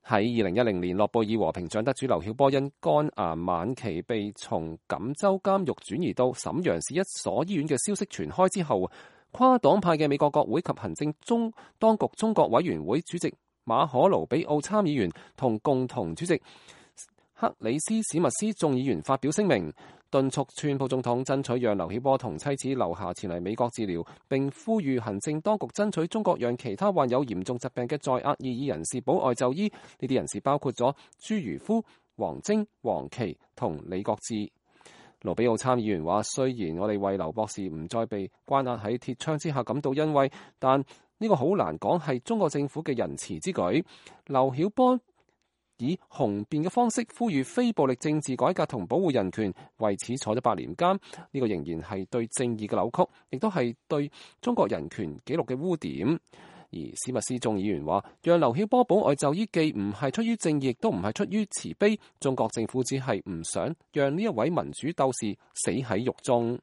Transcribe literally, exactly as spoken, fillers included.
喺二零一零年，諾貝爾和平獎得主劉曉波因肝癌晚期被從錦州監獄轉移到瀋陽市一所醫院嘅消息傳開之後，跨黨派嘅美國國會及行政中當局中國委員會主席馬可盧比奧參議員同共同主席克里斯史密斯眾議員發表聲明，敦促川普總統爭取讓劉曉波同妻子劉霞前嚟美國治療，並呼籲行政當局爭取中國讓其他患有嚴重疾病嘅在押異議人士保外就醫。呢啲人士包括咗朱如夫、王晶、黃琦同李國志。盧比奧參議員話：雖然我哋為劉博士唔再被關押喺鐵窗之下感到欣慰，但呢個好難講係中國政府嘅仁慈之舉。劉曉波以雄辯嘅方式呼籲非暴力政治改革同保護人權，為此坐咗八年監。呢個仍然係對正義嘅扭曲，亦都係對中國人權紀錄嘅污點。而史密斯眾議員話，讓劉曉波保外就醫既唔係出於正義，亦都唔係出於慈悲。中國政府只係唔想讓呢一位民主鬥士死喺獄中。